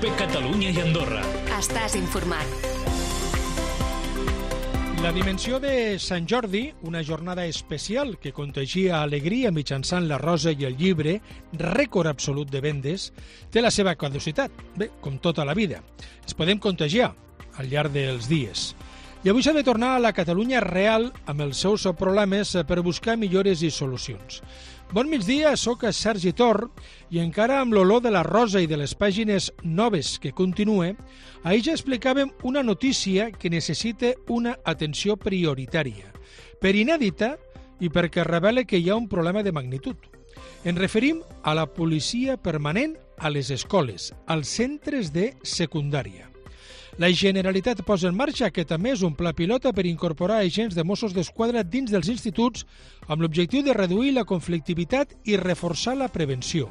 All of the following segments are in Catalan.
COPE Catalunya i Andorra. Estàs informat. La dimensió de Sant Jordi, una jornada especial que contagia alegria mitjançant la rosa i el llibre, rècord absolut de vendes, té la seva caducitat, bé, com tota la vida. Ens podem contagiar al llarg dels dies. I avui s'ha de tornar a la Catalunya real amb els seus problemes per buscar millores i solucions. Bon migdia, sóc Sergi Tor i encara amb l'olor de la rosa i de les pàgines noves que continue, ahir ja explicàvem una notícia que necessita una atenció prioritària, per inèdita i perquè revela que hi ha un problema de magnitud. Ens referim a la policia permanent a les escoles, als centres de secundària. La Generalitat posa en marxa aquest mes un pla pilota per incorporar agents de Mossos d'Esquadra dins dels instituts amb l'objectiu de reduir la conflictivitat i reforçar la prevenció.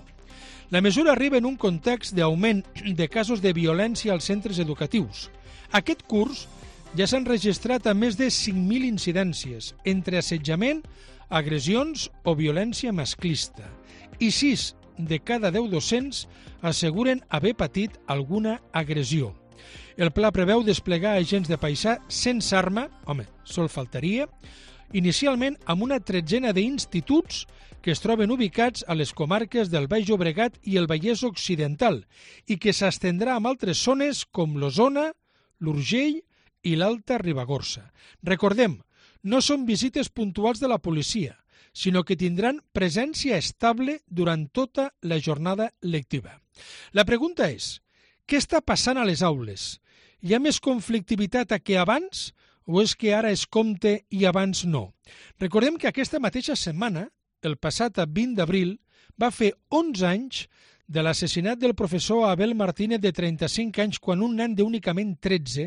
La mesura arriba en un context d'augment de casos de violència als centres educatius. Aquest curs ja s'han registrat a més de 5.000 incidències entre assetjament, agressions o violència masclista i 6 de cada 10 docents asseguren haver patit alguna agressió. El pla preveu desplegar agents de paisà sense arma, home, sol faltaria, inicialment amb una tretzena d'instituts que es troben ubicats a les comarques del Baix Llobregat i el Vallès Occidental i que s'estendrà a altres zones com l'Osona, l'Urgell i l'Alta Ribagorça. Recordem, no són visites puntuals de la policia, sinó que tindran presència estable durant tota la jornada lectiva. La pregunta és, què està passant a les aules? Hi ha més conflictivitat que abans o és que ara es compte i abans no? Recordem que aquesta mateixa setmana, el passat 20 d'abril, va fer 11 anys de l'assassinat del professor Abel Martínez de 35 anys quan un nen d'únicament 13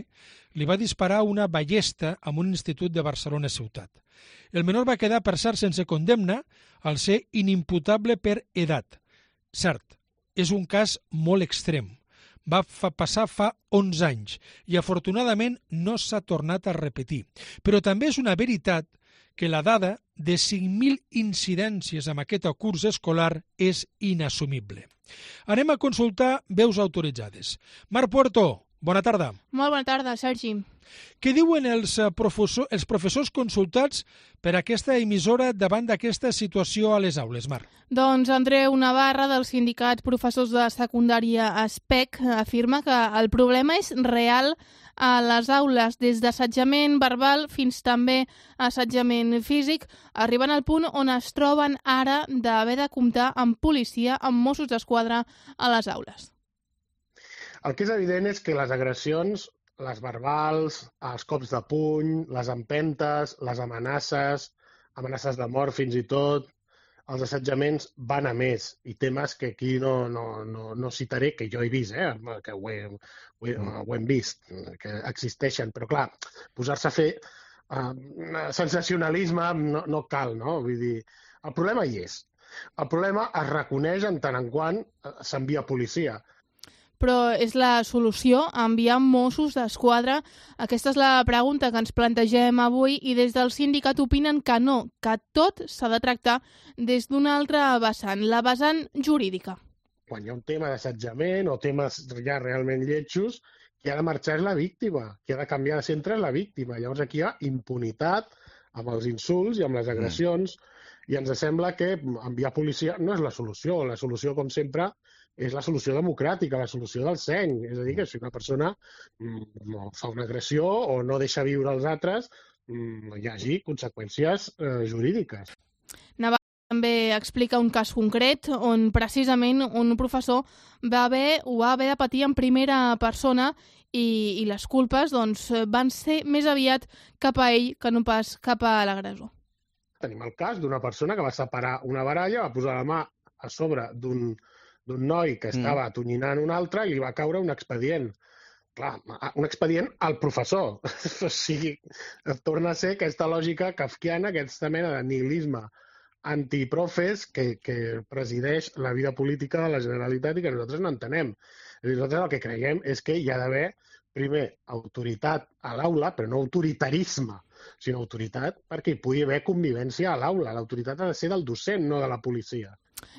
li va disparar una ballesta en un institut de Barcelona ciutat. El menor va quedar per cert sense condemna al ser inimputable per edat. Cert, és un cas molt extrem. Va passar fa 11 anys i afortunadament no s'ha tornat a repetir. Però també és una veritat que la dada de 5.000 incidències amb aquest curs escolar és inassumible. Anem a consultar veus autoritzades. Marc Puerto, bona tarda. Molt bona tarda, Sergi. Què diuen els professors consultats per aquesta emissora davant d'aquesta situació a les aules, Marc? Doncs Andreu Navarra, del sindicat Professors de Secundària ASPEC, afirma que el problema és real a les aules, des d'assetjament verbal fins també a assetjament físic, arribant al punt on es troben ara d'haver de comptar amb policia, amb Mossos d'Esquadra a les aules. El que és evident és que les agressions, les verbals, els cops de puny, les empentes, les amenaces de mort fins i tot, els assetjaments van a més. I temes que aquí no citaré, que jo he vist, que ho hem vist, que existeixen. Però clar, posar-se a fer sensacionalisme no cal, no? Vull dir, el problema hi és. El problema es reconeix en tant en quant s'envia policia. Però és la solució enviar Mossos d'Esquadra? Aquesta és la pregunta que ens plantegem avui i des del sindicat opinen que no, que tot s'ha de tractar des d'una altra vessant, la vessant jurídica. Quan hi ha un tema d'assetjament o temes ja realment lletjos, qui ha de marxar és la víctima, qui ha de canviar de centre és la víctima. Llavors aquí hi ha impunitat amb els insults i amb les agressions i ens sembla que enviar policia no és la solució. La solució, com sempre, és la solució democràtica, la solució del seny. És a dir, que si una persona fa una agressió o no deixa viure els altres, hi hagi conseqüències jurídiques. Navarra també explica un cas concret on precisament un professor va haver de patir en primera persona i les culpes van ser més aviat cap a ell que no pas cap a l'agressor. Tenim el cas d'una persona que va separar una baralla, va posar la mà a sobre d'un noi que estava atonyinant un altre i li va caure un expedient. Clar, un expedient al professor. O sigui, torna a ser aquesta lògica kafkiana, aquesta mena de nihilisme antiprofes que presideix la vida política de la Generalitat i que nosaltres no entenem. Nosaltres el que creiem és que hi ha d'haver, primer, autoritat a l'aula, però no autoritarisme, sinó autoritat perquè hi pugui haver convivència a l'aula. L'autoritat ha de ser del docent, no de la policia.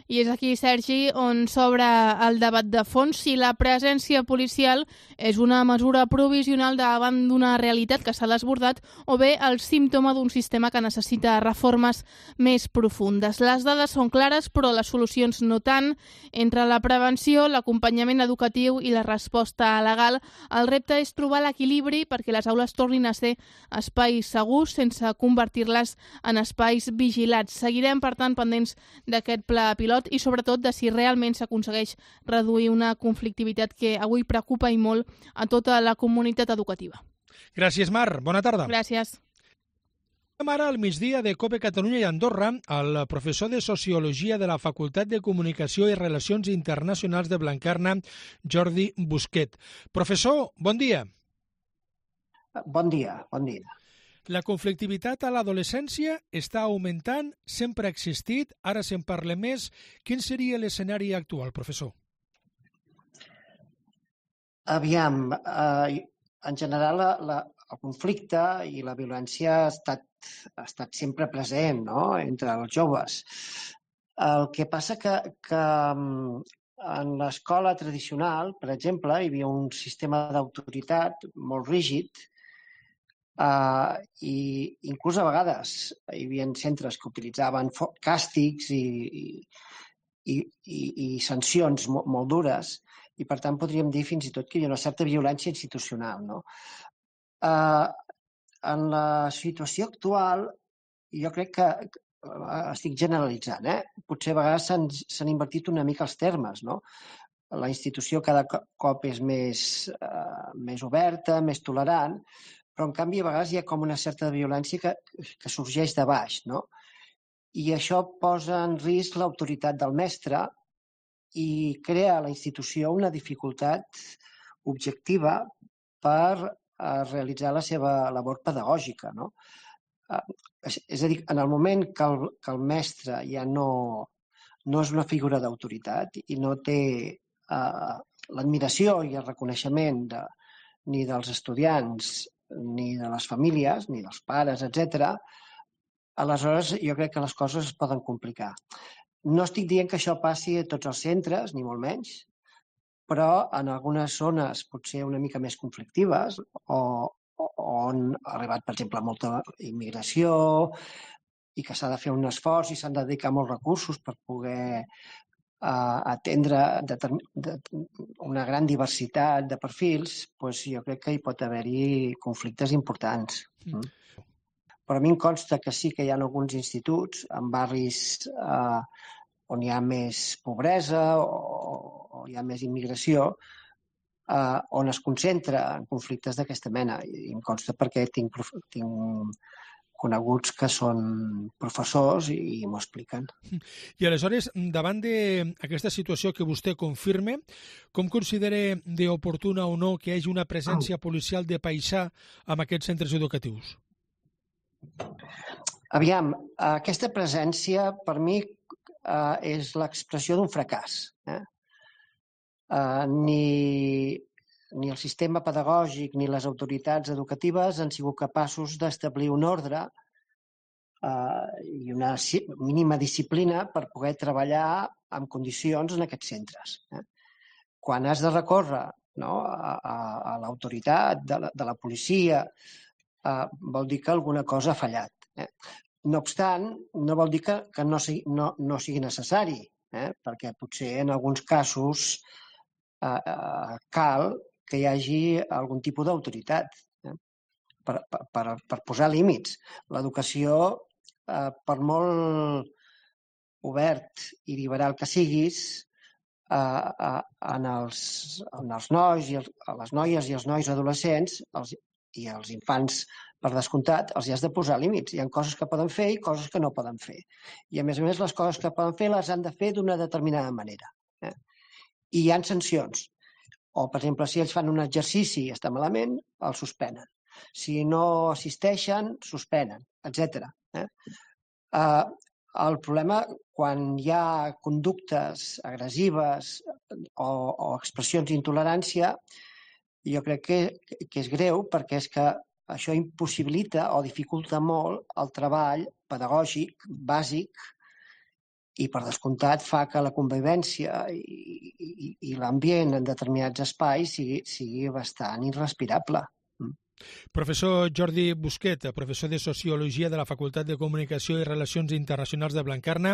I és aquí, Sergi, on s'obre el debat de fons si la presència policial és una mesura provisional davant d'una realitat que s'ha desbordat o bé el símptoma d'un sistema que necessita reformes més profundes. Les dades són clares, però les solucions no tant. Entre la prevenció, l'acompanyament educatiu i la resposta legal, el repte és trobar l'equilibri perquè les aules tornin a ser espais segurs sense convertir-les en espais vigilats. Seguirem, per tant, pendents d'aquest pla pilot i sobretot de si realment s'aconsegueix reduir una conflictivitat que avui preocupa i molt a tota la comunitat educativa. Gràcies, Mar. Bona tarda. Gràcies. Ara al migdia de COPE Catalunya i Andorra, el professor de Sociologia de la Facultat de Comunicació i Relacions Internacionals de Blanquerna, Jordi Busquet. Professor, bon dia. Bon dia, bon dia. La conflictivitat a l'adolescència està augmentant, sempre ha existit, ara se'n parla més. Quin seria l'escenari actual, professor? Aviam, en general el conflicte i la violència ha estat sempre present, no?, entre els joves. El que passa que en l'escola tradicional, per exemple, hi havia un sistema d'autoritat molt rígid i inclús a vegades hi havia centres que utilitzaven càstigs i sancions molt dures i, per tant, podríem dir fins i tot que hi ha una certa violència institucional, no? En la situació actual, jo crec que estic generalitzant, potser a vegades s'han invertit una mica els termes, no? La institució cada cop és més oberta, més tolerant, però en canvi a vegades hi ha com una certa violència que sorgeix de baix, no? I això posa en risc l'autoritat del mestre i crea a la institució una dificultat objectiva per realitzar la seva labor pedagògica, no? És a dir, en el moment que el mestre ja no és una figura d'autoritat i no té l'admiració i el reconeixement ni dels estudiants, ni de les famílies, ni dels pares, etc., aleshores jo crec que les coses es poden complicar. No estic dient que això passi a tots els centres, ni molt menys, però en algunes zones potser una mica més conflictives o on ha arribat, per exemple, molta immigració i que s'ha de fer un esforç i s'han de dedicar molts recursos per poder atendre una gran diversitat de perfils, doncs jo crec que hi pot haver-hi conflictes importants. Però a mi em consta que sí que hi ha alguns instituts en barris on hi ha més pobresa o hi ha més immigració, on es concentra en conflictes d'aquesta mena. I em consta perquè tinc coneguts que són professors i m'ho expliquen. I aleshores, davant d'aquesta situació que vostè confirma, com considera d'oportuna o no que hi hagi una presència policial de paisà en aquests centres educatius? Aviam, aquesta presència per mi és l'expressió d'un fracàs. Ni el sistema pedagògic ni les autoritats educatives han sigut capaços d'establir un ordre i una mínima disciplina per poder treballar en condicions en aquests centres. Quan has de recórrer a l'autoritat de la policia, vol dir que alguna cosa ha fallat. No obstant, no vol dir que no sigui necessari, perquè potser en alguns casos cal que hi hagi algun tipus d'autoritat per posar límits. L'educació, per molt obert i liberal que siguis, en els nois, a les noies i els nois adolescents i als infants, per descomptat, els hi has de posar límits. Hi ha coses que poden fer i coses que no poden fer. I, a més, les coses que poden fer les han de fer d'una determinada manera. I hi ha sancions. O, per exemple, si ells fan un exercici i està malament, el suspenen. Si no assisteixen, suspenen, etc. El problema, quan hi ha conductes agressives o expressions d'intolerància, jo crec que és greu perquè és que això impossibilita o dificulta molt el treball pedagògic bàsic i per descomptat fa que la convivència i l'ambient en determinats espais sigui bastant irrespirable. Professor Jordi Busquet, professor de Sociologia de la Facultat de Comunicació i Relacions Internacionals de Blanquerna,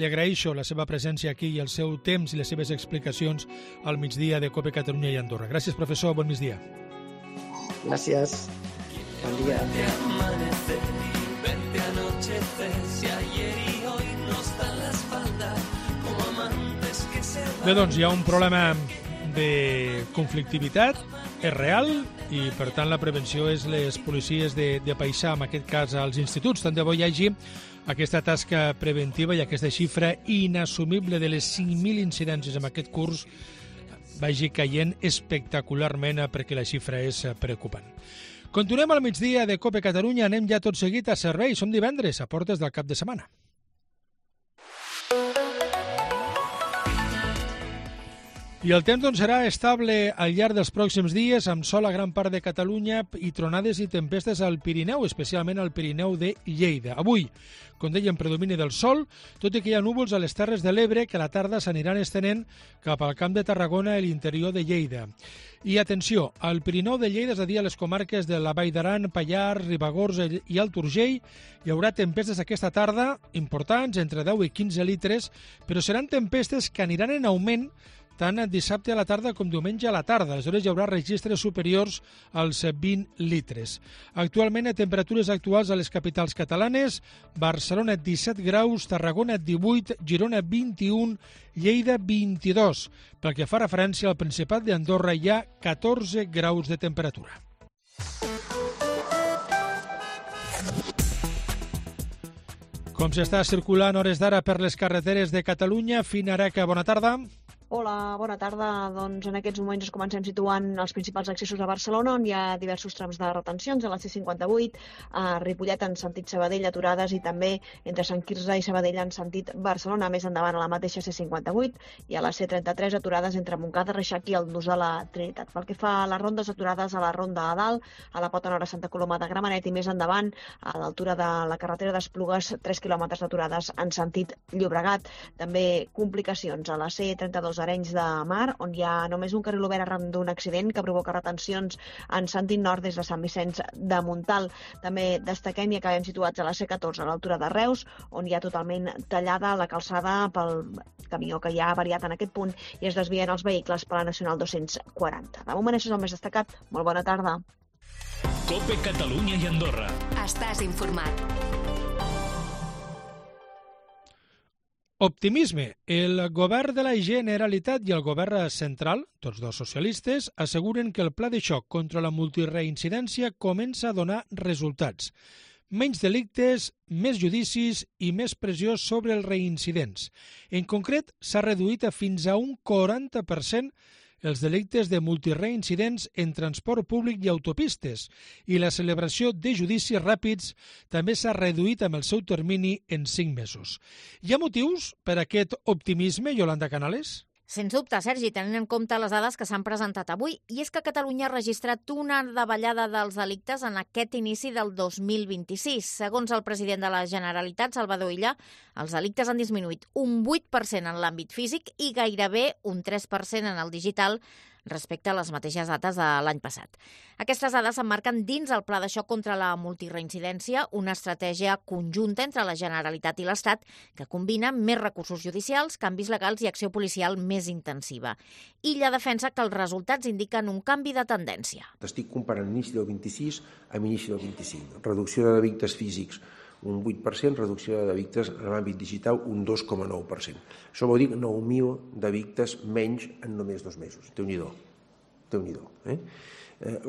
li agraeixo la seva presència aquí i el seu temps i les seves explicacions al migdia de COPE Catalunya i Andorra. Gràcies, professor. Bon migdia. Gràcies. Bon dia. Bé, doncs hi ha un problema de conflictivitat, és real, i per tant la prevenció és les policies de paisà, en aquest cas als instituts. Tant de bo hi hagi aquesta tasca preventiva i aquesta xifra inassumible de les 5.000 incidències en aquest curs vagi caient espectacularment, perquè la xifra és preocupant. Continuem al migdia de COPE Catalunya, anem ja tot seguit a servei. Som divendres, a portes del cap de setmana. I el temps serà estable al llarg dels pròxims dies, amb sol a gran part de Catalunya i tronades i tempestes al Pirineu, especialment al Pirineu de Lleida. Avui, com dèiem, predomini del sol, tot i que hi ha núvols a les Terres de l'Ebre que a la tarda s'aniran estenent cap al Camp de Tarragona i l'interior de Lleida. I atenció, al Pirineu de Lleida, és a dir, a les comarques de la Vall d'Aran, Pallars, Ribagorç i Alt Urgell, hi haurà tempestes aquesta tarda importants, entre 10 i 15 litres, però seran tempestes que aniran en augment tant dissabte a la tarda com diumenge a la tarda. Aleshores hi haurà registres superiors als 20 litres. Actualment, a temperatures actuals a les capitals catalanes, Barcelona 17 graus, Tarragona 18, Girona 21, Lleida 22. Pel que fa referència al Principat d'Andorra, hi ha 14 graus de temperatura. Com s'està circulant hores d'ara per les carreteres de Catalunya? Fina Areca, bona tarda. Hola, bona tarda. Doncs en aquests moments ens comencem situant els principals accessos a Barcelona, on hi ha diversos trams de retencions, a la C58, a Ripollet en sentit Sabadell, aturades, i també entre Sant Quirze i Sabadell en sentit Barcelona, més endavant a la mateixa C58, i a la C33 aturades entre Montcada, Reixac i el Nus de la Trinitat. Pel que fa a les rondes, aturades a la Ronda a Dalt, a la Pota Nord a Santa Coloma de Gramenet, i més endavant, a l'altura de la carretera d'Esplugues, 3 quilòmetres d'aturades en sentit Llobregat. També complicacions a la C32 Arenys de Mar, on hi ha només un carril obert arran d'un accident que provoca retencions en sentit nord des de Sant Vicenç de Montal. També destaquem i acabem situats a la C14 a l'altura de Reus, on hi ha totalment tallada la calçada pel camió que hi ha variat en aquest punt i es desvien els vehicles per la Nacional 240. De moment això és el més destacat. Molt bona tarda. COPE Catalunya i Andorra. Estàs informat. Optimisme. El govern de la Generalitat i el govern central, tots dos socialistes, asseguren que el pla de xoc contra la multireincidència comença a donar resultats. Menys delictes, més judicis i més pressió sobre els reincidents. En concret, s'ha reduït a fins a un 40% els delictes de multireincidents en transport públic i autopistes, i la celebració de judicis ràpids també s'ha reduït amb el seu termini en 5 mesos. Hi ha motius per a aquest optimisme, Yolanda Canales? Sens dubte, Sergi, tenint en compte les dades que s'han presentat avui, i és que Catalunya ha registrat una davallada dels delictes en aquest inici del 2026. Segons el president de la Generalitat, Salvador Illa, els delictes han disminuït un 8% en l'àmbit físic i gairebé un 3% en el digital respecte a les mateixes dates de l'any passat. Aquestes dades s'emmarquen dins el Pla de xoc contra la multireincidència, una estratègia conjunta entre la Generalitat i l'Estat que combina més recursos judicials, canvis legals i acció policial més intensiva. Illa defensa que els resultats indiquen un canvi de tendència. Estic comparant l'inici del 26 amb l'inici del 25. Reducció de delictes físics, un 8%, reducció de delictes en l'àmbit digital, un 2,9%. Això vol dir 9.000 delictes menys en només 2 mesos. Déu-n'hi-do.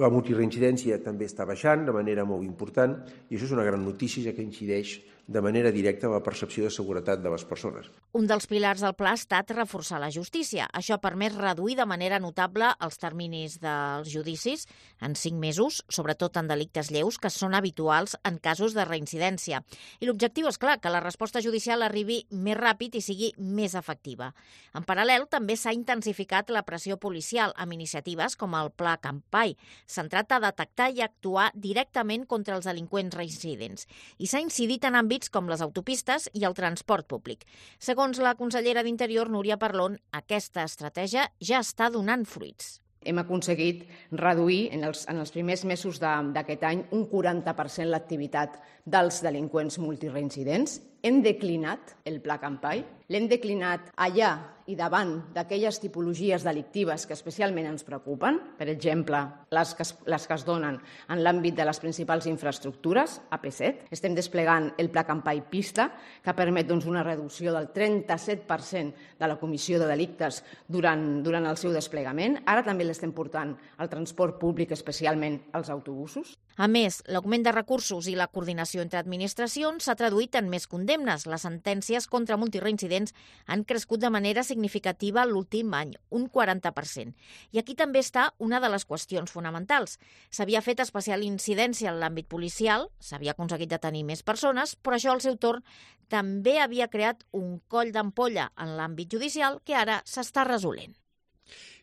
La multireincidència també està baixant de manera molt important i això és una gran notícia, ja que incideix de manera directa en la percepció de seguretat de les persones. Un dels pilars del pla ha estat reforçar la justícia. Això ha permès reduir de manera notable els terminis dels judicis en 5 mesos, sobretot en delictes lleus, que són habituals en casos de reincidència. I l'objectiu és clar, que la resposta judicial arribi més ràpid i sigui més efectiva. En paral·lel, també s'ha intensificat la pressió policial amb iniciatives com el Pla Campai, centrat a detectar i actuar directament contra els delinqüents reincidents. I s'ha incidit en àmbits àmbits com les autopistes i el transport públic. Segons la consellera d'Interior, Núria Parlon, aquesta estratègia ja està donant fruits. Hem aconseguit reduir en els primers mesos d'aquest any un 40% l'activitat dels delinqüents multireincidents. Hem declinat el pla Campai, l'hem declinat allà i davant d'aquelles tipologies delictives que especialment ens preocupen, per exemple, les que es donen en l'àmbit de les principals infraestructures, AP7. Estem desplegant el pla Campai Pista, que permet una reducció del 37% de la comissió de delictes durant el seu desplegament. Ara també l'estem portant al transport públic, especialment als autobusos. A més, l'augment de recursos i la coordinació entre administracions s'ha traduït en més condemnes. Les sentències contra multireincidents han crescut de manera significativa l'últim any, un 40%. I aquí també està una de les qüestions fonamentals. S'havia fet especial incidència en l'àmbit policial, s'havia aconseguit detenir més persones, però això al seu torn també havia creat un coll d'ampolla en l'àmbit judicial que ara s'està resolent.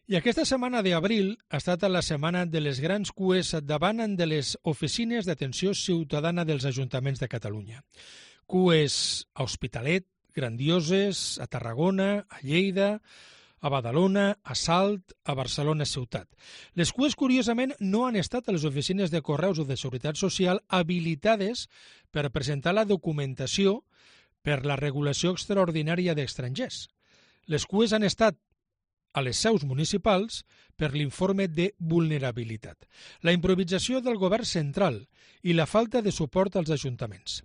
I aquesta setmana d'abril ha estat la setmana de les grans cues davant de les oficines d'atenció ciutadana dels ajuntaments de Catalunya. Cues a Hospitalet, grandioses, a Tarragona, a Lleida, a Badalona, a Salt, a Barcelona ciutat. Les cues, curiosament, no han estat a les oficines de correus o de seguretat social habilitades per presentar la documentació per la regulació extraordinària d'estrangers. Les cues han estat a les seus municipals per l'informe de vulnerabilitat, la improvisació del govern central i la falta de suport als ajuntaments.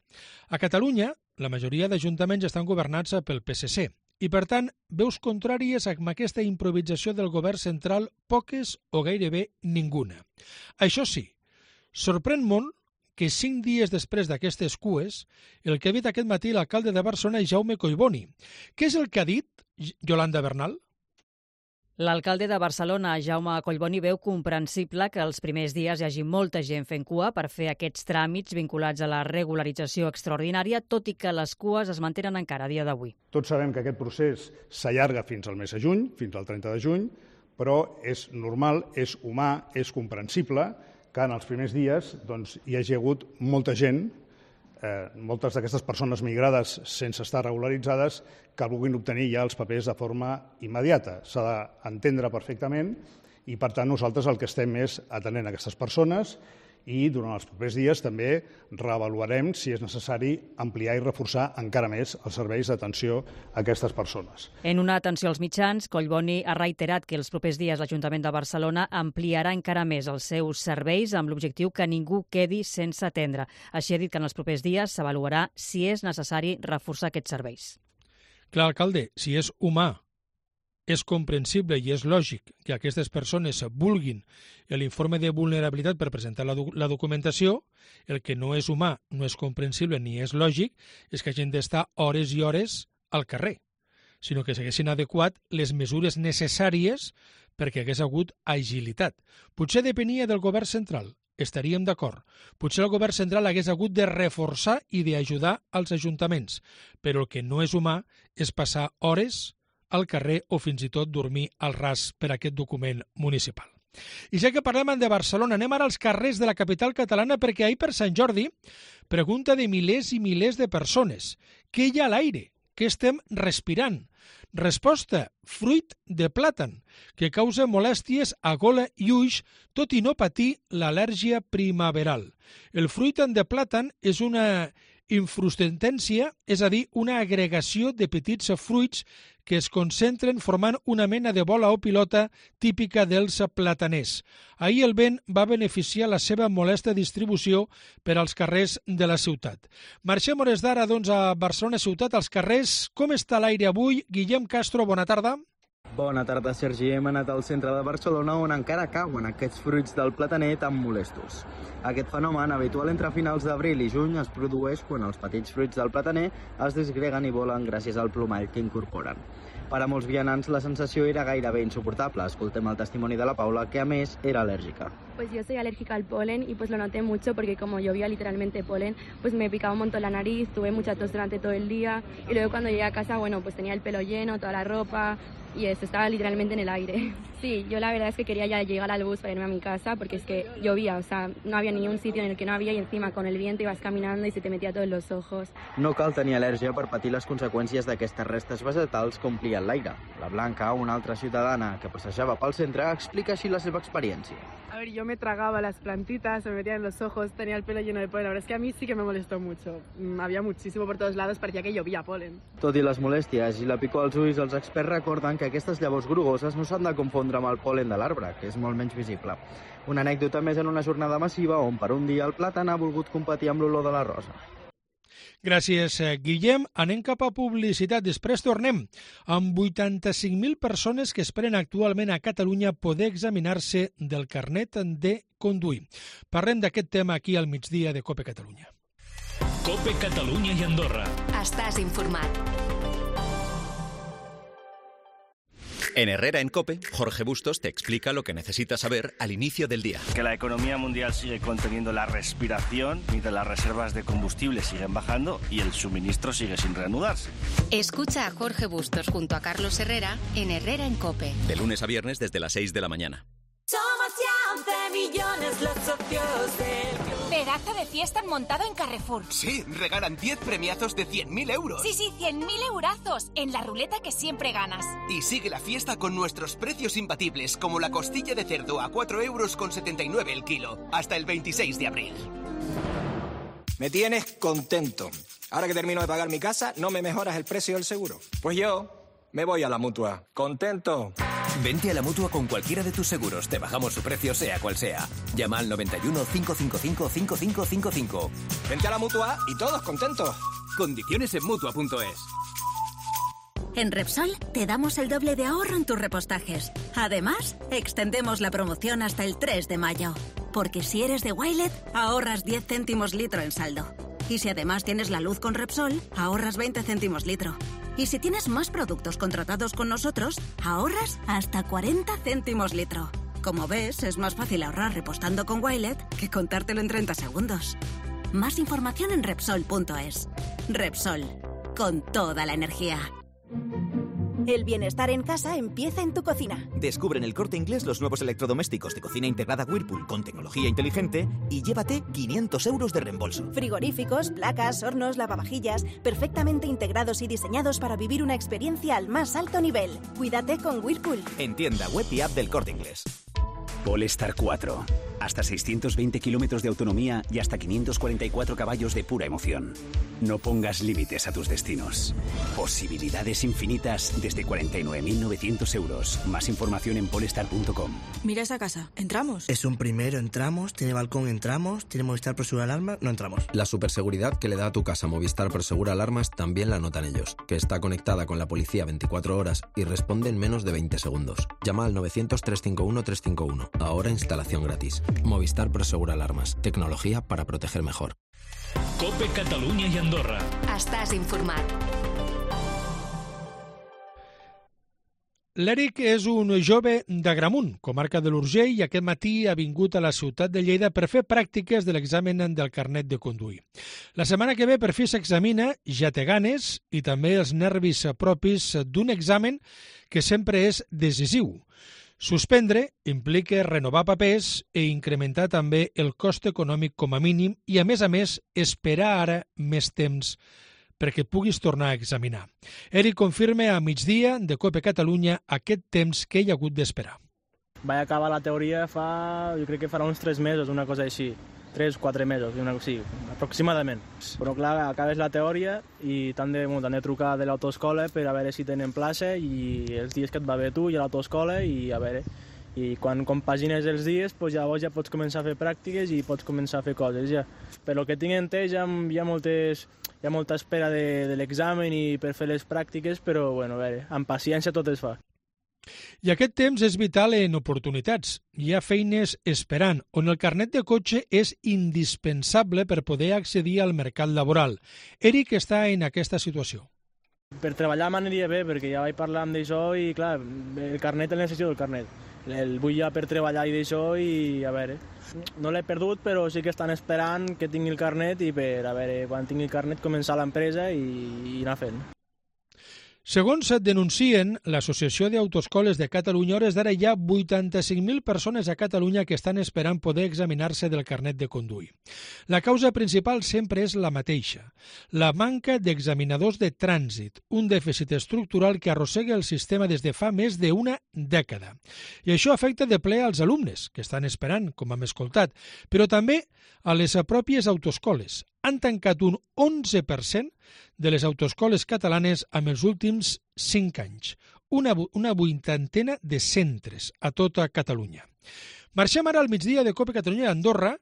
A Catalunya, la majoria d'ajuntaments estan governats pel PSC i, per tant, veus contràries amb aquesta improvisació del govern central poques o gairebé ninguna. Això sí, sorprèn molt que 5 dies després d'aquestes cues, el que ha dit aquest matí l'alcalde de Barcelona, Jaume Collboni. Què és el que ha dit Yolanda Bernal? L'alcalde de Barcelona, Jaume Collboni, veu comprensible que els primers dies hi hagi molta gent fent cua per fer aquests tràmits vinculats a la regularització extraordinària, tot i que les cues es mantenen encara a dia d'avui. Tots sabem que aquest procés s'allarga fins al mes de juny, fins al 30 de juny, però és normal, és humà, és comprensible que en els primers dies hi hagi hagut molta gent, moltes d'aquestes persones migrades sense estar regularitzades, que vulguin obtenir ja els papers de forma immediata. S'ha d'entendre perfectament i, per tant, nosaltres el que estem és atenent a aquestes persones i durant els propers dies també reavaluarem si és necessari ampliar i reforçar encara més els serveis d'atenció a aquestes persones. En una atenció als mitjans, Collboni ha reiterat que els propers dies l'Ajuntament de Barcelona ampliarà encara més els seus serveis amb l'objectiu que ningú quedi sense atendre. Així ha dit que en els propers dies s'avaluarà si és necessari reforçar aquests serveis. Clar, alcalde, si és humà, és comprensible i és lògic que aquestes persones vulguin l'informe de vulnerabilitat per presentar la documentació. El que no és humà, no és comprensible ni és lògic és que hagin d'estar hores i hores al carrer, sinó que s'haguessin adequat les mesures necessàries perquè hagués hagut agilitat. Potser depenia del govern central, estaríem d'acord. Potser el govern central hagués hagut de reforçar i d'ajudar als ajuntaments, però el que no és humà és passar hores al carrer o fins i tot dormir al ras per aquest document municipal. I ja que parlem de Barcelona, anem ara als carrers de la capital catalana perquè ahir per Sant Jordi, pregunta de milers i milers de persones. Què hi ha a l'aire? Què estem respirant? Resposta, fruit de plàtan, que causa molèsties a gola i ulls, tot i no patir l'al·lèrgia primaveral. El fruit de plàtan és una infrustentència, és a dir, una agregació de petits fruits que es concentren formant una mena de bola o pilota típica dels plataners. Ahir el vent va beneficiar la seva molesta distribució per als carrers de la ciutat. Marxem hores d'ara, a Barcelona ciutat, als carrers. Com està l'aire avui? Guillem Castro, bona tarda. Bona tarda, Sergi. Hem anat al centre de Barcelona on encara cauen aquests fruits del plataner tan molestos. Aquest fenomen, habitual entre finals d'abril i juny, es produeix quan els petits fruits del plataner es disgreguen i volen gràcies al plomall que incorporen. Per a molts vianants la sensació era gairebé insoportable. Escoltem el testimoni de la Paula, que a més era alèrgica. Pues yo soy alérgica al polen y pues lo noté mucho porque como llovía literalmente polen, pues me picaba un montón la nariz, tuve mucha tos durante todo el día y luego cuando llegué a casa, bueno, pues tenía el pelo lleno, toda la ropa y eso, estaba literalmente en el aire. Sí, yo la verdad es que quería ya llegar al bus para irme a mi casa porque es que llovía, o sea, no había ni un sitio en el que no había y encima con el viento ibas caminando y se te metía todo en los ojos. No cal tenir al·lèrgia per patir les conseqüències d'aquestes restes vegetals que omplien l'aire. La Blanca, una altra ciutadana que passejava pel centre, explica així la seva experiència. A ver, yo me tragaba las plantitas, se me metían en los ojos, tenía el pelo lleno de polen. La verdad es que a mí sí que me molestó mucho. Había muchísimo por todos lados, parecía que llovía polen. Tot i les molèsties i la picor als ulls, els experts recorden que aquestes llavors grogoses no s'han de confondre amb el pol·len de l'arbre, que és molt menys visible. Una anècdota més en una jornada massiva on per un dia el plàtan ha volgut competir amb l'olor de la rosa. Gràcies, Guillem. Anem cap a publicitat. Després tornem amb 85.000 persones que esperen actualment a Catalunya poder examinar-se del carnet de conduir. Parlem d'aquest tema aquí al migdia de COPE Catalunya. COPE Catalunya i Andorra. Estàs informat. En Herrera en COPE, Jorge Bustos te explica lo que necesitas saber al inicio del día. Que la economía mundial sigue conteniendo la respiración, mientras las reservas de combustible siguen bajando y el suministro sigue sin reanudarse. Escucha a Jorge Bustos junto a Carlos Herrera en Herrera en COPE. De lunes a viernes desde las 6 de la mañana. Somos ya 11 millones los socios del club. Pedazo de fiesta han montado en Carrefour. Sí, regalan 10 premiazos de 100.000 euros. Sí, 100.000 eurazos en la ruleta que siempre ganas. Y sigue la fiesta con nuestros precios imbatibles, como la costilla de cerdo a 4,79 € el kilo, hasta el 26 de abril. Me tienes contento. Ahora que termino de pagar mi casa, ¿no me mejoras el precio del seguro? Pues yo me voy a la Mutua. ¿Contento? Vente a la Mutua con cualquiera de tus seguros. Te bajamos su precio, sea cual sea. Llama al 91 555 5555. Vente a la Mutua y todos contentos. Condiciones en Mutua.es. En Repsol te damos el doble de ahorro en tus repostajes. Además, extendemos la promoción hasta el 3 de mayo. Porque si eres de Wilet, ahorras 10 céntimos litro en saldo. Y si además tienes la luz con Repsol, ahorras 20 céntimos litro. Y si tienes más productos contratados con nosotros, ahorras hasta 40 céntimos litro. Como ves, es más fácil ahorrar repostando con Wilet que contártelo en 30 segundos. Más información en Repsol.es. Repsol, con toda la energía. El bienestar en casa empieza en tu cocina. Descubre en El Corte Inglés los nuevos electrodomésticos de cocina integrada Whirlpool con tecnología inteligente y llévate 500 € de reembolso. Frigoríficos, placas, hornos, lavavajillas, perfectamente integrados y diseñados para vivir una experiencia al más alto nivel. Cuídate con Whirlpool. En tienda web y app del Corte Inglés. Polestar 4. Hasta 620 kilómetros de autonomía y hasta 544 caballos de pura emoción. No pongas límites a tus destinos. Posibilidades infinitas desde 49.900 €. Más información en polestar.com. Mira esa casa. ¿Entramos? Es un primero, entramos. Tiene balcón, entramos. Tiene Movistar Prosegur Alarmas, no entramos. La superseguridad que le da a tu casa Movistar Prosegur Alarmas también la notan ellos, que está conectada con la policía 24 horas y responde en menos de 20 segundos. Llama al 900-351-351. Ahora instalación gratis. Movistar Prosegur Alarmas. Tecnología para proteger mejor. COPE Catalunya i Andorra. Estàs informat. L'Eric és un jove d'Agramunt, comarca de l'Urgell, i aquest matí ha vingut a la ciutat de Lleida per fer pràctiques de l'examen del carnet de conduir. La setmana que ve per fi s'examina, ja té ganes i també els nervis propis d'un examen que sempre és decisiu. Suspendre implica renovar papers i incrementar també el cost econòmic com a mínim i, a més, esperar ara més temps perquè puguis tornar a examinar. Eric confirma a migdia de COPE Catalunya aquest temps que hi ha hagut d'esperar. Vaig acabar la teoria jo crec que farà uns 3 mesos, una cosa així. 3-4 mesos, sí, aproximadament. Però clar, acabes la teoria i t'han de trucar de l'autoescola per a veure si tenen plaça i els dies que et va bé tu i a l'autoescola i a veure. I quan compagines els dies, doncs llavors ja pots començar a fer pràctiques i pots començar a fer coses ja. Per lo que tinc entès hi ha molta espera de l'examen i per fer les pràctiques, però bueno, a veure, amb paciència tot es fa. I aquest temps és vital en oportunitats. Hi ha feines esperant, on el carnet de cotxe és indispensable per poder accedir al mercat laboral. Eric està en aquesta situació. Per treballar m'aniria bé, perquè ja vaig parlar amb d'això i, clar, el carnet el necessito, el carnet. El vull ja per treballar i d'això i, a veure, no l'he perdut, però sí que estan esperant que tingui el carnet i per, a veure, quan tingui el carnet començar l'empresa i anar fent. Segons denuncien l'Associació d'Autoescoles de Catalunya, hores d'ara hi ha 85.000 persones a Catalunya que estan esperant poder examinar-se del carnet de conduir. La causa principal sempre és la mateixa, la manca d'examinadors de trànsit, un dèficit estructural que arrossega el sistema des de fa més d'una dècada. I això afecta de ple als alumnes, que estan esperant, com hem escoltat, però també a les pròpies autoescoles. Han tancat un 11% de les autoescoles catalanes amb els últims 5 anys, una vuitantena de centres a tota Catalunya. Marxem ara al migdia de COPE Catalunya a Andorra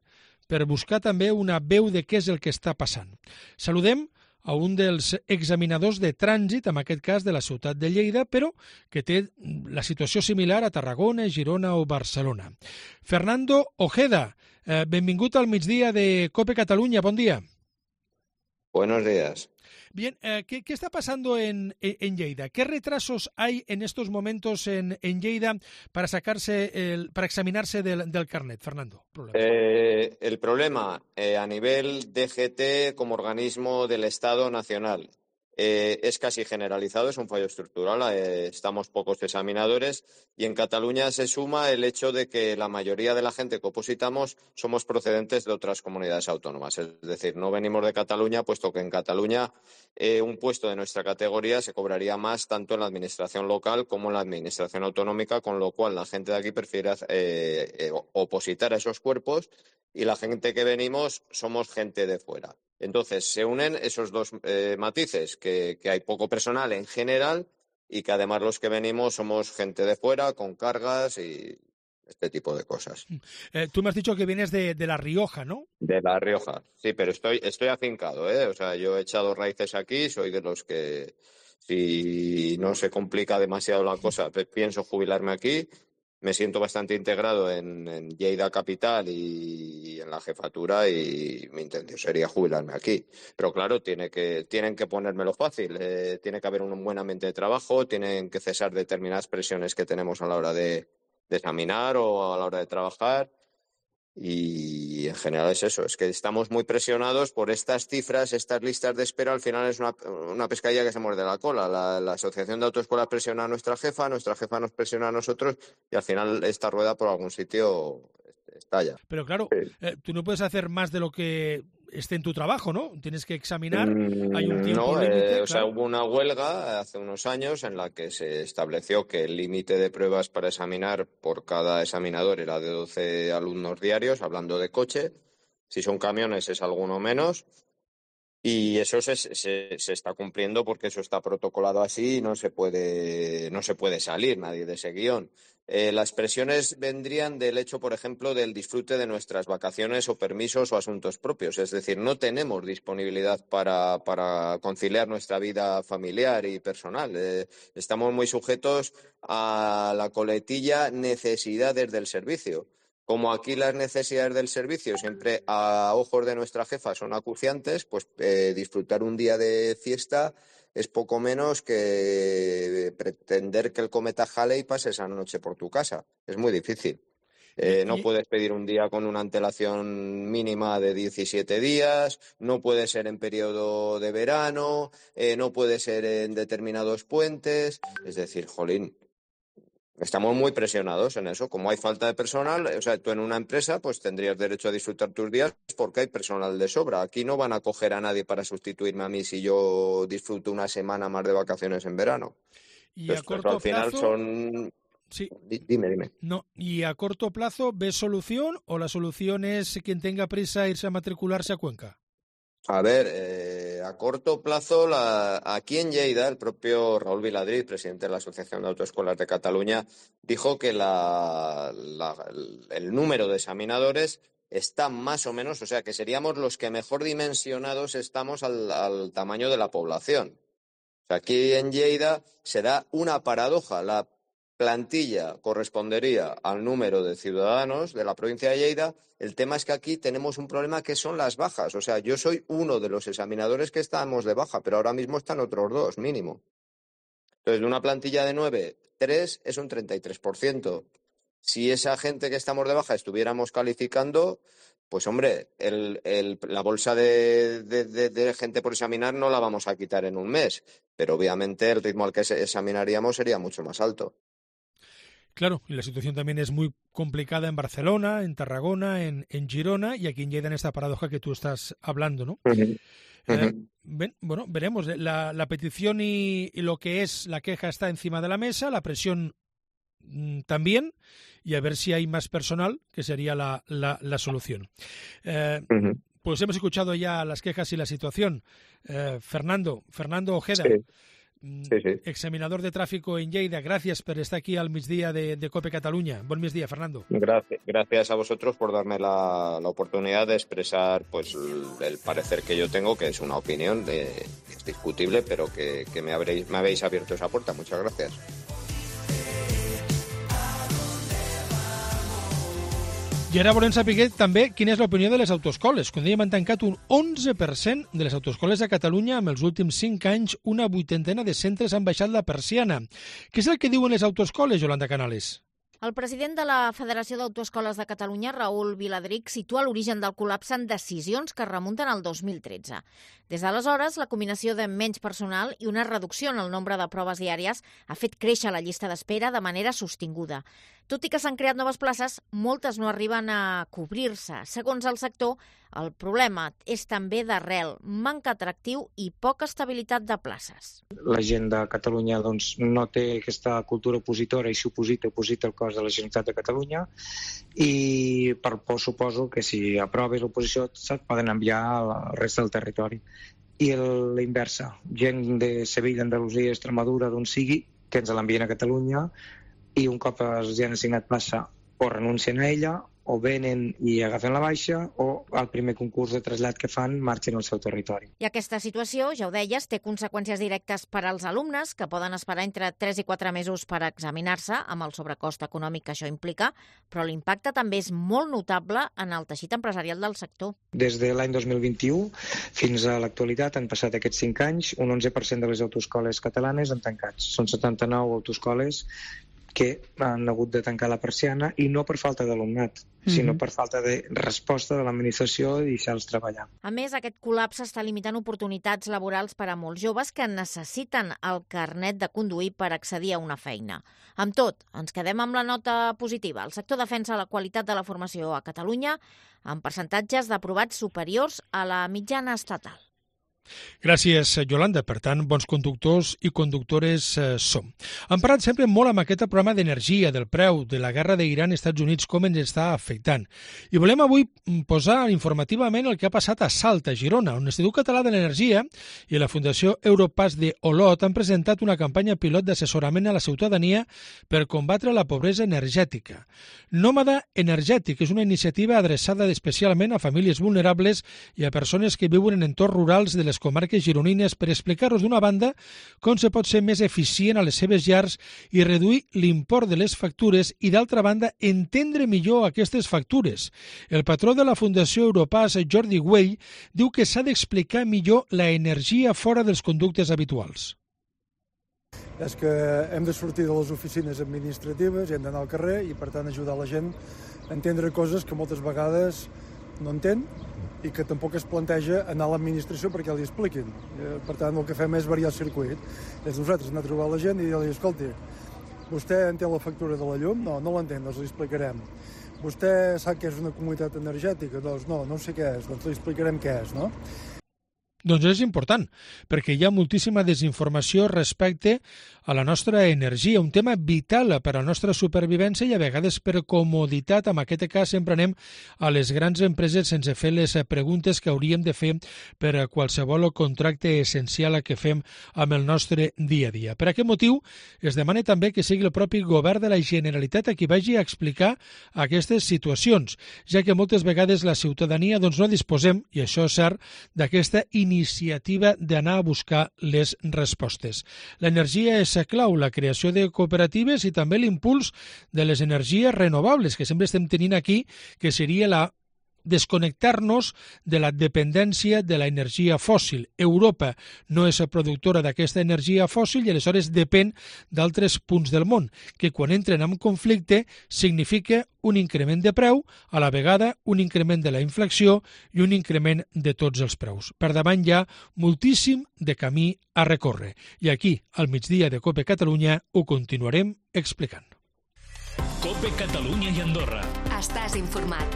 per buscar també una veu de què és el que està passant. Saludem a un dels examinadors de trànsit, en aquest cas de la ciutat de Lleida, però que té la situació similar a Tarragona, Girona o Barcelona. Fernando Ojeda, benvingut al migdia de COPE Catalunya, bon dia. Buenos días. Bien, ¿qué está pasando en Lleida? ¿Qué retrasos hay en estos momentos en Lleida para examinarse del carnet, Fernando? El problema a nivel DGT como organismo del Estado nacional es casi generalizado, es un fallo estructural, estamos pocos examinadores y en Cataluña se suma el hecho de que la mayoría de la gente que opositamos somos procedentes de otras comunidades autónomas, es decir, no venimos de Cataluña, puesto que en Cataluña un puesto de nuestra categoría se cobraría más tanto en la administración local como en la administración autonómica, con lo cual la gente de aquí prefiere opositar a esos cuerpos y la gente que venimos somos gente de fuera. Entonces, se unen esos dos matices, que hay poco personal en general y que además los que venimos somos gente de fuera, con cargas y este tipo de cosas. Tú me has dicho que vienes de La Rioja, ¿no? De La Rioja, sí, pero estoy afincado, O sea, yo he echado raíces aquí, soy de los que, si no se complica demasiado la cosa, pienso jubilarme aquí. Me siento bastante integrado en Lleida Capital y en la jefatura y mi intención sería jubilarme aquí. Pero claro, tienen que ponérmelo fácil. Tiene que haber un buen ambiente de trabajo, tienen que cesar determinadas presiones que tenemos a la hora de examinar o a la hora de trabajar. Y en general es eso, es que estamos muy presionados por estas cifras, estas listas de espera. Al final es una pescadilla que se muerde la cola. La Asociación de Autoescuelas presiona a nuestra jefa nos presiona a nosotros y al final esta rueda por algún sitio estalla. Pero claro, tú no puedes hacer más de lo que esté en tu trabajo, ¿no? Tienes que examinar, hay un tiempo límite. O sea, hubo una huelga hace unos años en la que se estableció que el límite de pruebas para examinar por cada examinador era de 12 alumnos diarios, hablando de coche. Si son camiones es alguno menos. Y eso se está cumpliendo porque eso está protocolado así y no se puede salir nadie de ese guión. Las presiones vendrían del hecho, por ejemplo, del disfrute de nuestras vacaciones o permisos o asuntos propios. Es decir, no tenemos disponibilidad para conciliar nuestra vida familiar y personal. Estamos muy sujetos a la coletilla necesidades del servicio. Como aquí las necesidades del servicio siempre a ojos de nuestra jefa son acuciantes, pues disfrutar un día de fiesta es poco menos que pretender que el cometa Halley pase esa noche por tu casa. Es muy difícil. No puedes pedir un día con una antelación mínima de 17 días, no puede ser en periodo de verano, no puede ser en determinados puentes. Es decir, jolín. Estamos muy presionados en eso. Como hay falta de personal, o sea, tú en una empresa pues tendrías derecho a disfrutar tus días porque hay personal de sobra. Aquí no van a coger a nadie para sustituirme a mí si yo disfruto una semana más de vacaciones en verano. Y entonces, a corto al final plazo... son... Sí. Dime. No, ¿y a corto plazo ves solución o la solución es quien tenga prisa irse a matricularse a Cuenca? A ver, a corto plazo, aquí en Lleida, el propio Raúl Viladrí, presidente de la Asociación de Autoescuelas de Cataluña, dijo que el número de examinadores está más o menos, o sea, que seríamos los que mejor dimensionados estamos al tamaño de la población. O sea, aquí en Lleida se da una paradoja. La plantilla correspondería al número de ciudadanos de la provincia de Lleida. El tema es que aquí tenemos un problema que son las bajas. O sea, yo soy uno de los examinadores que estamos de baja, pero ahora mismo están otros 2 mínimo. Entonces, de una plantilla de 9, 3 es un 33%. Si esa gente que estamos de baja estuviéramos calificando, pues hombre, la bolsa de gente por examinar no la vamos a quitar en un mes, pero obviamente el ritmo al que examinaríamos sería mucho más alto. Claro, y la situación también es muy complicada en Barcelona, en Tarragona, en Girona y aquí en Lleida en esta paradoja que tú estás hablando, ¿no? Bueno, veremos. La petición y lo que es la queja está encima de la mesa, la presión también, y a ver si hay más personal, que sería la solución. Pues hemos escuchado ya las quejas y la situación. Fernando Ojeda, examinador de tráfico en Lleida, gracias por estar aquí al migdia de COPE Cataluña. Buen migdia, Fernando. Gracias a vosotros por darme la oportunidad de expresar pues el parecer que yo tengo, que es una opinión que es discutible, pero que me habéis abierto esa puerta. Muchas gracias. I ara volem saber també quina és l'opinió de les autoescoles. Com dèiem, han tancat un 11% de les autoescoles a Catalunya. En els últims 5 anys, una 80ena de centres han baixat la persiana. Què és el que diuen les autoescoles, Yolanda Canales? El president de la Federació d'Autoescoles de Catalunya, Raül Viladric, situa l'origen del col·lapse en decisions que remunten al 2013. Des d'aleshores, la combinació de menys personal i una reducció en el nombre de proves diàries ha fet créixer la llista d'espera de manera sostinguda. Tot i que s'han creat noves places, moltes no arriben a cobrir-se. Segons el sector, el problema és també d'arrel, manca atractiu i poca estabilitat de places. La gent de Catalunya no té aquesta cultura opositora i oposita el cos de la Generalitat de Catalunya i per por suposo que si aproves l'oposició se't poden enviar al resta del territori. I la inversa, gent de Sevilla, Andalusia, Extremadura, d'on sigui, que ens l'envien a Catalunya i un cop els han assignat plaça o renuncien a ella o venen i agafen la baixa o al primer concurs de trasllat que fan marxen al seu territori. I aquesta situació, ja ho deies, té conseqüències directes per als alumnes que poden esperar entre 3 i 4 mesos per examinar-se amb el sobrecost econòmic que això implica, però l'impacte també és molt notable en el teixit empresarial del sector. Des de l'any 2021 fins a l'actualitat han passat aquests 5 anys, un 11% de les autoescoles catalanes han tancat. Són 79 autoescoles que han hagut de tancar la persiana i no per falta d'alumnat, sinó per falta de resposta de l'administració i deixar-los treballar. A més, aquest col·lapse està limitant oportunitats laborals per a molts joves que necessiten el carnet de conduir per accedir a una feina. Amb tot, ens quedem amb la nota positiva. El sector defensa la qualitat de la formació a Catalunya amb percentatges d'aprovats superiors a la mitjana estatal. Gràcies, Yolanda. Per tant, bons conductors i conductores som. Hem parlat sempre molt amb aquest programa d'energia, del preu, de la guerra d'Iran als Estats Units, com ens està afectant. I volem avui posar informativament el que ha passat a Salt, a Girona, on l'Institut Català de l'Energia i la Fundació Europass de Olot han presentat una campanya pilot d'assessorament a la ciutadania per combatre la pobresa energètica. Nòmada Energètic és una iniciativa adreçada especialment a famílies vulnerables i a persones que viuen en entorns rurals de les comarques gironines per explicar-nos d'una banda com se pot ser més eficient a les seves llars i reduir l'import de les factures i d'altra banda entendre millor aquestes factures. El patró de la Fundació Europass, Jordi Güell, diu que s'ha d'explicar millor la energia fora dels conductes habituals. És que hem de sortir de les oficines administratives i hem d'anar al carrer i per tant ajudar la gent a entendre coses que moltes vegades no entén i que tampoc es planteja anar a l'administració perquè li expliquin. Per tant, el que fem és variar el circuit. És nosaltres anar a trobar la gent i dir-li, escolti, vostè entén la factura de la llum? No l'entén, doncs li explicarem. Vostè sap què és una comunitat energètica? Doncs no sé què és, doncs li explicarem què és, no? Doncs és important, perquè hi ha moltíssima desinformació respecte a la nostra energia, un tema vital per a la nostra supervivència i a vegades per comoditat, en aquest cas sempre anem a les grans empreses sense fer les preguntes que hauríem de fer per a qualsevol contracte essencial que fem amb el nostre dia a dia. Per aquest motiu es demana també que sigui el propi govern de la Generalitat a qui vagi a explicar aquestes situacions, ja que moltes vegades la ciutadania no disposem, i això és cert, d'aquesta iniciativa d'anar a buscar les respostes. L'energia és clau, la creació de cooperatives i també l'impuls de les energies renovables que sempre estem tenint aquí, que seria la desconnectar-nos de la dependència de l'energia fòssil. Europa no és productora d'aquesta energia fòssil i aleshores depèn d'altres punts del món, que quan entren en conflicte significa un increment de preu, a la vegada un increment de la inflació i un increment de tots els preus. Per davant hi ha moltíssim de camí a recórrer. I aquí, al migdia de COPE Catalunya, ho continuarem explicant. COPE Catalunya i Andorra. Estàs informat.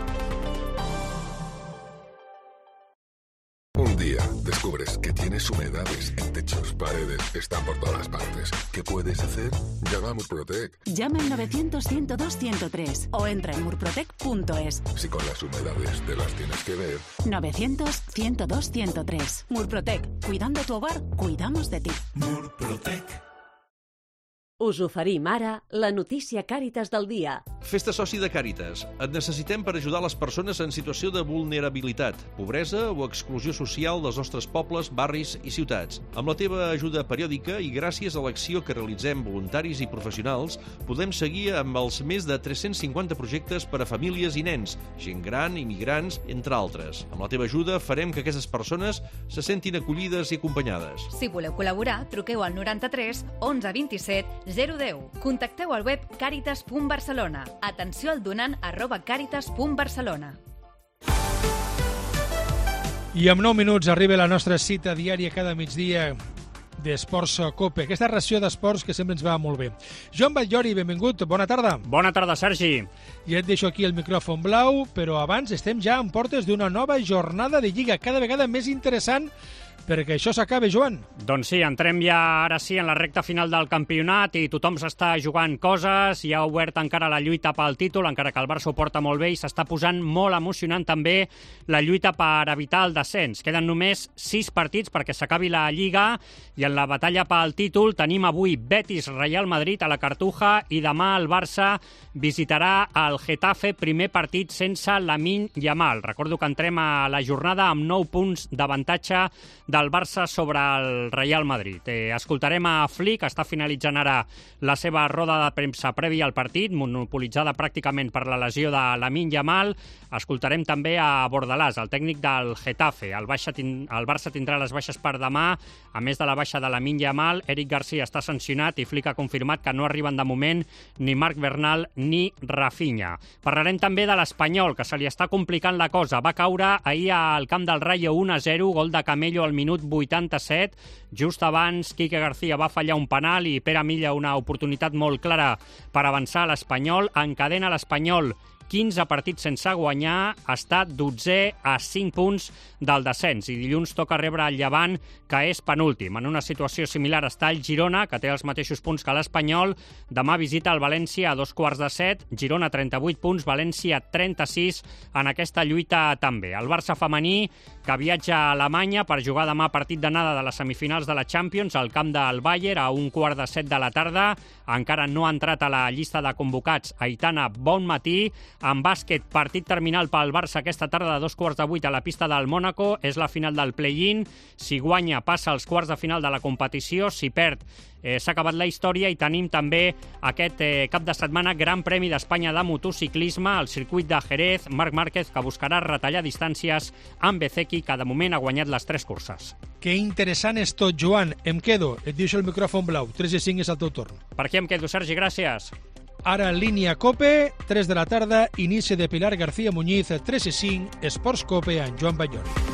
Un día descubres que tienes humedades en techos, paredes, están por todas partes. ¿Qué puedes hacer? Llama a Murprotec. Llama al 900-102-103 o entra en murprotec.es. Si con las humedades te las tienes que ver. 900-102-103. Murprotec. Cuidando tu hogar, cuidamos de ti. Murprotec. Us oferim ara la notícia Càritas del dia. Fes-te soci de Càritas. Et necessitem per ajudar les persones en situació de vulnerabilitat, pobresa o exclusió social dels nostres pobles, barris i ciutats. Amb la teva ajuda periòdica i gràcies a l'acció que realitzem voluntaris i professionals, podem seguir amb els més de 350 projectes per a famílies i nens, gent gran, immigrants, entre altres. Amb la teva ajuda farem que aquestes persones se sentin acollides i acompanyades. Si voleu col·laborar, truqueu al 93 11 27 010. Contacteu al web caritas.barcelona. Atenció al donant @caritas.barcelona. I en 9 minuts arriba la nostra cita diària cada migdia d'Esports COPE, aquesta ració d'esports que sempre ens va molt bé. Joan Batllori, benvingut, bona tarda. Bona tarda, Sergi. I et deixo aquí el micròfon blau, però abans estem ja en portes d'una nova jornada de Lliga, cada vegada més interessant, perquè això s'acaba, Joan. Doncs sí, entrem ja ara sí en la recta final del campionat i tothom s'està jugant coses, hi ha obert encara la lluita pel títol, encara que el Barça ho porta molt bé i s'està posant molt emocionant també la lluita per evitar el descens. Queden només 6 partits perquè s'acabi la Lliga i en la batalla pel títol tenim avui Betis-Real Madrid a la Cartuja i demà el Barça visitarà el Getafe, primer partit sense Lamine Yamal. Recordo que entrem a la jornada amb 9 punts d'avantatge del Barça sobre el Real Madrid. Escoltarem a Flick, que està finalitzant ara la seva roda de premsa prèvia al partit, monopolitzada pràcticament per la lesió de Lamine Yamal. Escoltarem també a Bordalàs, el tècnic del Getafe. El Barça tindrà les baixes per demà, a més de la baixa de Lamine Yamal. Eric Garcia està sancionat i Flick ha confirmat que no arriben de moment ni Marc Bernal ni Rafinha. Parlarem també de l'Espanyol, que se li està complicant la cosa. Va caure ahir al camp del Rayo 1-0, gol de Camello al minut 87. Just abans, Quique García va fallar un penal i Pere Milla una oportunitat molt clara per avançar a l'Espanyol. Encadena l'Espanyol 15 partits sense guanyar, està 12è a 5 punts del descens i dilluns toca rebre el Llevant, que és penúltim. En una situació similar està el Girona, que té els mateixos punts que l'Espanyol. Demà visita el València a 6:45, Girona 38 punts, València 36 en aquesta lluita també. El Barça femení, que viatja a Alemanya per jugar demà partit d'anada de les semifinals de la Champions al camp del Bayern a 6:45 de la tarda. Encara no ha entrat a la llista de convocats Aitana Bonmatí. En bàsquet, partit terminal pel Barça aquesta tarda a 7:15 a la pista del Mónaco. És la final del play-in. Si guanya, passa als quarts de final de la competició. Si perd, s'ha acabat la història i tenim també aquest cap de setmana Gran Premi d'Espanya de motociclisme al circuit de Jerez. Marc Márquez, que buscarà retallar distàncies amb Bezeki, que de moment ha guanyat les 3 curses. Que interessant és tot, Joan. Em quedo. Et deixo el micròfon blau. 3:05 és el teu torn. Per aquí em quedo, Sergi. Gràcies. Ara en línia COPE, 3 de la tarda, inici de Pilar García Muñiz, 3:05, Esports COPE amb Joan Batllori.